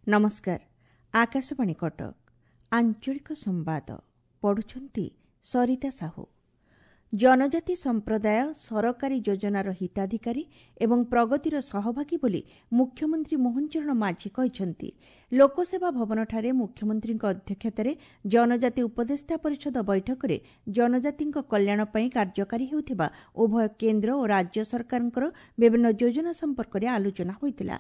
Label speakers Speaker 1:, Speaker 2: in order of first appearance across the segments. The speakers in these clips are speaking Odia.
Speaker 1: ନମସ୍କାର, ଆକାଶବାଣୀ କଟକ, ଆଞ୍ଚଳିକ ସମ୍ବାଦ ପଢୁଛନ୍ତି ସରିତା ସାହୁ। ଜନଜାତି ସମ୍ପ୍ରଦାୟ ସରକାରୀ ଯୋଜନାର ହିତାଧିକାରୀ ଏବଂ ପ୍ରଗତିର ସହଭାଗୀ ବୋଲି ମୁଖ୍ୟମନ୍ତ୍ରୀ ମୋହନ ଚରଣ ମାଝୀ କହିଛନ୍ତି। ଲୋକସେବା ଭବନଠାରେ ମୁଖ୍ୟମନ୍ତ୍ରୀଙ୍କ ଅଧ୍ୟକ୍ଷତାରେ ଜନଜାତି ଉପଦେଷ୍ଟା ପରିଷଦ ବୈଠକରେ ଜନଜାତିଙ୍କ କଲ୍ୟାଣ ପାଇଁ କାର୍ଯ୍ୟକାରୀ ହେଉଥିବା ଉଭୟ କେନ୍ଦ୍ର ଓ ରାଜ୍ୟ ସରକାରଙ୍କର ବିଭିନ୍ନ ଯୋଜନା ସମ୍ପର୍କରେ ଆଲୋଚନା ହୋଇଥିଲା।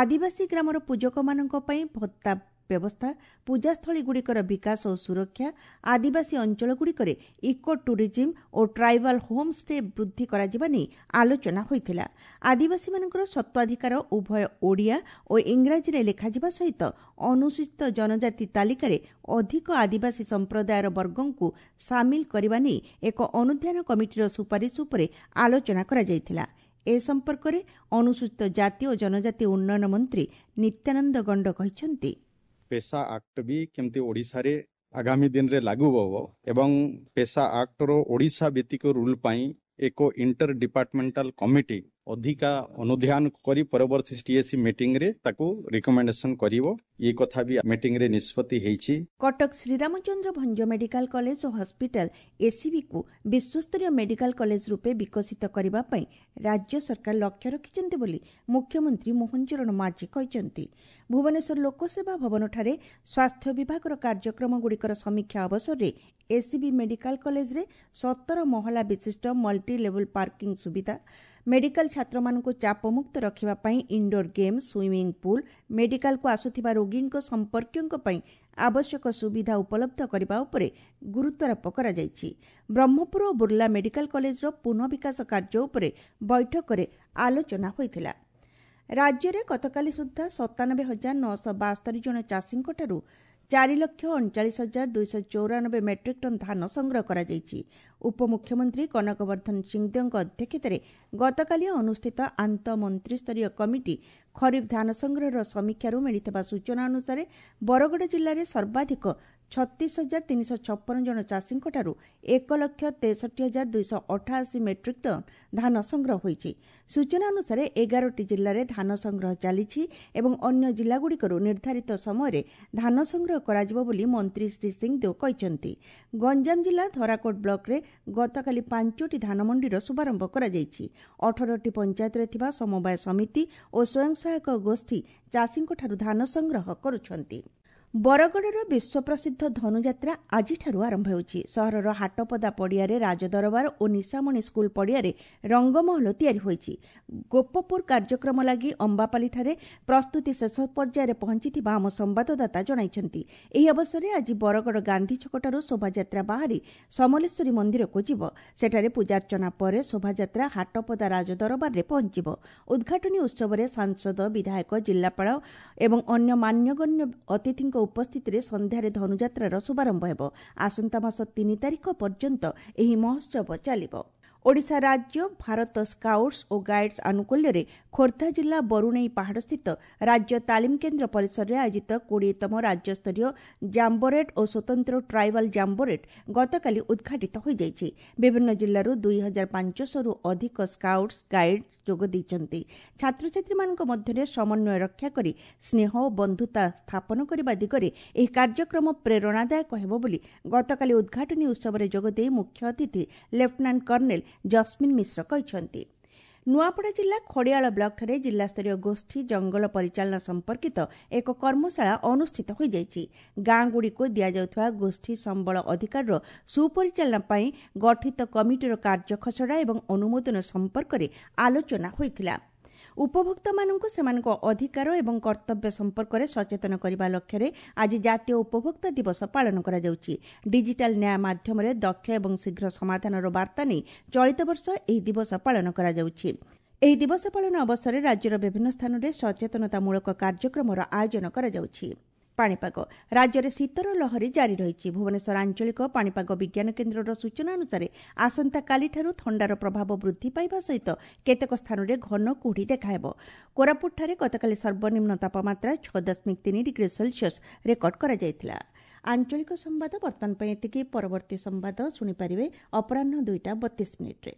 Speaker 1: ଆଦିବାସୀ ଗ୍ରାମର ପୂଜକମାନଙ୍କ ପାଇଁ ଭତ୍ତା ବ୍ୟବସ୍ଥା, ପୂଜାସ୍ଥଳୀଗୁଡ଼ିକର ବିକାଶ ଓ ସୁରକ୍ଷା, ଆଦିବାସୀ ଅଞ୍ଚଳଗୁଡ଼ିକରେ ଇକୋ ଟୁରିଜିମ୍ ଓ ଟ୍ରାଇବାଲ୍ ହୋମ୍ଷ୍ଟେ ବୃଦ୍ଧି କରାଯିବା ନେଇ ଆଲୋଚନା ହୋଇଥିଲା। ଆଦିବାସୀମାନଙ୍କର ସତ୍ତ୍ୱାଧିକାର ଉଭୟ ଓଡ଼ିଆ ଓ ଇଂରାଜୀରେ ଲେଖାଯିବା ସହିତ ଅନୁସୂଚିତ ଜନଜାତି ତାଲିକାରେ ଅଧିକ ଆଦିବାସୀ ସମ୍ପ୍ରଦାୟର ବର୍ଗଙ୍କୁ ସାମିଲ କରିବା ନେଇ ଏକ ଅନୁଧ୍ୟାନ କମିଟିର ସୁପାରିଶ ଉପରେ ଆଲୋଚନା କରାଯାଇଥିଲା। ଏ ସମ୍ପର୍କରେ ଅନୁସୂଚିତ ଜାତି ଓ ଜନଜାତି ଉନ୍ନୟନ ମନ୍ତ୍ରୀ ନିତ୍ୟାନନ୍ଦ ଗଣ୍ଡ କହିଛନ୍ତି,
Speaker 2: ପେସା ଆକ୍ଟ ବି କେମିତି ଓଡ଼ିଶାରେ ଆଗାମୀ ଦିନରେ ଲାଗୁ ହେବ ଏବଂ ପେସା ଆକ୍ଟର ଓଡ଼ିଶା ଭିତ୍ତିକ ରୁଲ୍ ପାଇଁ ଏକ ଇଣ୍ଟର ଡିପାର୍ଟମେଣ୍ଟାଲ କମିଟି ଅଧିକା ଅନୁଧ୍ୟାନ କରି ପରବର୍ତ୍ତୀ ଟିଏସି ମିଟିଂରେ ତାକୁ ରିକମେଣ୍ଡେସନ କରିବ। ଏ କଥା ବି ମିଟିଂରେ ନିଷ୍ପତ୍ତି ହେଇଛି।
Speaker 1: କଟକ ଶ୍ରୀରାମଚନ୍ଦ୍ର ଭଞ୍ଜ ମେଡିକାଲ କଲେଜ ଓ ହସ୍ପିଟାଲ ଏସ୍ସିବିକୁ ବିଶ୍ୱସ୍ତରୀୟ ମେଡିକାଲ କଲେଜ ରୂପେ ବିକଶିତ କରିବା ପାଇଁ ରାଜ୍ୟ ସରକାର ଲକ୍ଷ୍ୟ ରଖିଛନ୍ତି ବୋଲି ମୁଖ୍ୟମନ୍ତ୍ରୀ ମୋହନ ଚରଣ ମାଝୀ କହିଛନ୍ତି। ଭୁବନେଶ୍ୱର ଲୋକସେବା ଭବନଠାରେ ସ୍ୱାସ୍ଥ୍ୟ ବିଭାଗର କାର୍ଯ୍ୟକ୍ରମଗୁଡ଼ିକର ସମୀକ୍ଷା ଅବସରରେ ଏସ୍ସିବି ମେଡିକାଲ କଲେଜରେ 17 ମହଲା ବିଶିଷ୍ଟ ମଲ୍ଟି ଲେବୁଲ ପାର୍କିଂ ସୁବିଧା, ମେଡିକାଲ ଛାତ୍ରମାନଙ୍କୁ ଚାପମୁକ୍ତ ରଖିବା ପାଇଁ ଇନ୍ଡୋର ଗେମ୍, ସୁଇମିଂ ପୁଲ୍, ମେଡିକାଲକୁ ଆସୁଥିବା ରୋଗୀଙ୍କ ସମ୍ପର୍କୀୟଙ୍କ ପାଇଁ ଆବଶ୍ୟକ ସୁବିଧା ଉପଲବ୍ଧ କରିବା ଉପରେ ଗୁରୁତ୍ୱାରୋପ କରାଯାଇଛି। ବ୍ରହ୍ମପୁର ଓ ବୁର୍ଲା ମେଡିକାଲ କଲେଜର ପୁନଃବିକାଶ କାର୍ଯ୍ୟ ଉପରେ ବୈଠକରେ ଆଲୋଚନା ହୋଇଥିଲା। ରାଜ୍ୟରେ ଗତକାଲି ସୁଦ୍ଧା 97,972 ଜଣ ଚାଷୀଙ୍କଠାରୁ 4,39,294 ମେଟ୍ରିକ୍ ଟନ୍ ଧାନ ସଂଗ୍ରହ କରାଯାଇଛି। ଉପମୁଖ୍ୟମନ୍ତ୍ରୀ କନକବର୍ଦ୍ଧନ ସିଂଦେଓଙ୍କ ଅଧ୍ୟକ୍ଷତାରେ ଗତକାଲି ଅନୁଷ୍ଠିତ ଆନ୍ତଃ ମନ୍ତ୍ରିସ୍ତରୀୟ କମିଟି ଖରିଫ ଧାନ ସଂଗ୍ରହର ସମୀକ୍ଷାରୁ ମିଳିଥିବା ସୂଚନା ଅନୁସାରେ ବରଗଡ଼ ଜିଲ୍ଲାରେ ସର୍ବାଧିକ 36,356 ଜଣ ଚାଷୀଙ୍କଠାରୁ 1,63,288 ମେଟ୍ରିକ୍ ଟନ୍ ଧାନ ସଂଗ୍ରହ ହୋଇଛି। ସୂଚନା ଅନୁସାରେ 11ଟି ଜିଲ୍ଲାରେ ଧାନ ସଂଗ୍ରହ ଚାଲିଛି ଏବଂ ଅନ୍ୟ ଜିଲ୍ଲାଗୁଡ଼ିକରୁ ନିର୍ଦ୍ଧାରିତ ସମୟରେ ଧାନ ସଂଗ୍ରହ କରାଯିବ ବୋଲି ମନ୍ତ୍ରୀ ଶ୍ରୀ ସିଂଦେଓ କହିଛନ୍ତି। ଗଞ୍ଜାମ ଜିଲ୍ଲା ଧରାକୋଟ ବ୍ଲକରେ ଗତକାଲି 5ଟି ଧାନମଣ୍ଡିର ଶୁଭାରମ୍ଭ କରାଯାଇଛି। 18ଟି ପଞ୍ଚାୟତରେ ଥିବା ସମବାୟ ସମିତି ଓ ସ୍ୱୟଂ ସହାୟକ ଗୋଷ୍ଠୀ ଚାଷୀଙ୍କଠାରୁ ଧାନ ସଂଗ୍ରହ କରୁଛନ୍ତି। ବରଗଡ଼ର ବିଶ୍ୱପ୍ରସିଦ୍ଧ ଧନୁଯାତ୍ରା ଆଜିଠାରୁ ଆରମ୍ଭ ହେଉଛି। ସହରର ହାଟପଦା ପଡ଼ିଆରେ ରାଜଦରବାର ଓ ନିଶାମଣି ସ୍କୁଲ ପଡ଼ିଆରେ ରଙ୍ଗମହଲ ତିଆରି ହୋଇଛି। ଗୋପପୁର କାର୍ଯ୍ୟକ୍ରମ ଲାଗି ଅମ୍ବାପାଲିଠାରେ ପ୍ରସ୍ତୁତି ଶେଷ ପର୍ଯ୍ୟାୟରେ ପହଞ୍ଚିଥିବା ଆମ ସମ୍ବାଦଦାତା ଜଣାଇଛନ୍ତି। ଏହି ଅବସରରେ ଆଜି ବରଗଡ଼ ଗାନ୍ଧୀ ଛକଠାରୁ ଶୋଭାଯାତ୍ରା ବାହାରି ସମଲେଶ୍ୱରୀ ମନ୍ଦିରକୁ ଯିବ। ସେଠାରେ ପୂଜାର୍ଚ୍ଚନା ପରେ ଶୋଭାଯାତ୍ରା ହାଟପଦା ରାଜଦରବାରରେ ପହଞ୍ଚିବ। ଉଦ୍ଘାଟନୀ ଉତ୍ସବରେ ସାଂସଦ, ବିଧାୟକ, ଜିଲ୍ଲାପାଳ ଏବଂ ଅନ୍ୟ ମାନ୍ୟଗଣ୍ୟ ଅତିଥିଙ୍କ ଉପସ୍ଥିତିରେ ସନ୍ଧ୍ୟାରେ ଧନୁଯାତ୍ରାର ଶୁଭାରମ୍ଭ ହେବ। ଆସନ୍ତା ମାସ 3 ତାରିଖ ପର୍ଯ୍ୟନ୍ତ ଏହି ମହୋତ୍ସବ ଚାଲିବ। ଓଡ଼ିଶା ରାଜ୍ୟ ଭାରତ ସ୍କାଉଟ୍ସ ଓ ଗାଇଡ୍ସ ଆନୁକୂଲ୍ୟରେ ଖୋର୍ଦ୍ଧା ଜିଲ୍ଲା ବରୁଣେଇ ପାହାଡ଼ସ୍ଥିତ ରାଜ୍ୟ ତାଲିମ କେନ୍ଦ୍ର ପରିସରରେ ଆୟୋଜିତ 20ତମ ରାଜ୍ୟସ୍ତରୀୟ ଜାମ୍ବୋରେଟ୍ ଓ ସ୍ୱତନ୍ତ୍ର ଟ୍ରାଇବାଲ୍ ଜାମ୍ବୋରେଟ୍ ଗତକାଲି ଉଦ୍ଘାଟିତ ହୋଇଯାଇଛି। ବିଭିନ୍ନ ଜିଲ୍ଲାରୁ 2500ରୁ ଅଧିକ ସ୍କାଉଟ୍ସ ଗାଇଡ୍ ଯୋଗ ଦେଇଛନ୍ତି। ଛାତ୍ରଛାତ୍ରୀମାନଙ୍କ ମଧ୍ୟରେ ସମନ୍ୱୟ ରକ୍ଷା କରି ସ୍ନେହ ଓ ବନ୍ଧୁତା ସ୍ଥାପନ କରିବା ଦିଗରେ ଏହି କାର୍ଯ୍ୟକ୍ରମ ପ୍ରେରଣାଦାୟକ ହେବ ବୋଲି ଗତକାଲି ଉଦ୍ଘାଟନୀ ଉତ୍ସବରେ ଯୋଗଦେଇ ମୁଖ୍ୟ ଅତିଥି ଲେଫ୍ଟନାଣ୍ଟ କର୍ଣ୍ଣେଲ ଜସ୍ମିନ୍ ମିଶ୍ର କହିଛନ୍ତି। ନୂଆପଡ଼ା ଜିଲ୍ଲା ଖଡ଼ିଆଳ ବ୍ଲକଠାରେ ଜିଲ୍ଲାସ୍ତରୀୟ ଗୋଷ୍ଠୀ ଜଙ୍ଗଲ ପରିଚାଳନା ସମ୍ପର୍କିତ ଏକ କର୍ମଶାଳା ଅନୁଷ୍ଠିତ ହୋଇଯାଇଛି। ଗାଁଗୁଡ଼ିକୁ ଦିଆଯାଉଥିବା ଗୋଷ୍ଠୀ ସମ୍ବଳ ଅଧିକାରର ସୁପରିଚାଳନା ପାଇଁ ଗଠିତ କମିଟିର କାର୍ଯ୍ୟ ଖସଡ଼ା ଏବଂ ଅନୁମୋଦନ ସମ୍ପର୍କରେ ଆଲୋଚନା ହୋଇଥିଲା। ଉପଭୋକ୍ତାମାନଙ୍କୁ ସେମାନଙ୍କ ଅଧିକାର ଏବଂ କର୍ତ୍ତବ୍ୟ ସମ୍ପର୍କରେ ସଚେତନ କରିବା ଲକ୍ଷ୍ୟରେ ଆଜି ଜାତୀୟ ଉପଭୋକ୍ତା ଦିବସ ପାଳନ କରାଯାଉଛି। ଡିଜିଟାଲ ନ୍ୟାୟ ମାଧ୍ୟମରେ ଦକ୍ଷ ଏବଂ ଶୀଘ୍ର ସମାଧାନର ବାର୍ତ୍ତା ନେଇ ଚଳିତ ବର୍ଷ ଏହି ଦିବସ ପାଳନ କରାଯାଉଛି। ଏହି ଦିବସ ପାଳନ ଅବସରରେ ରାଜ୍ୟର ବିଭିନ୍ନ ସ୍ଥାନରେ ସଚେତନତାମୂଳକ କାର୍ଯ୍ୟକ୍ରମର ଆୟୋଜନ କରାଯାଉଛି। ପାଣିପାଗ। ରାଜ୍ୟରେ ଶୀତର ଲହରୀ ଜାରି ରହିଛି। ଭୁବନେଶ୍ୱର ଆଞ୍ଚଳିକ ପାଣିପାଗ ବିଜ୍ଞାନ କେନ୍ଦ୍ରର ସୂଚନା ଅନୁସାରେ ଆସନ୍ତାକାଲିଠାରୁ ଥଣ୍ଡାର ପ୍ରଭାବ ବୃଦ୍ଧି ପାଇବା ସହିତ କେତେକ ସ୍ଥାନରେ ଘନ କୁହୁଡ଼ି ଦେଖାହେବ। କୋରାପୁଟଠାରେ ଗତକାଲି ସର୍ବନିମ୍ନ ତାପମାତ୍ରା 6.3 ଡିଗ୍ରୀ ସେଲସିୟସ୍ ରେକର୍ଡ କରାଯାଇଥିଲା। ଆଞ୍ଚଳିକ ସମ୍ବାଦ ବର୍ତ୍ତମାନ ପାଇଁ ଏତିକି। ପରବର୍ତ୍ତୀ ସମ୍ବାଦ ଶୁଣିପାରିବେ ଅପରାହ୍ନ 2ଟା 32 ମିନିଟ୍ରେ।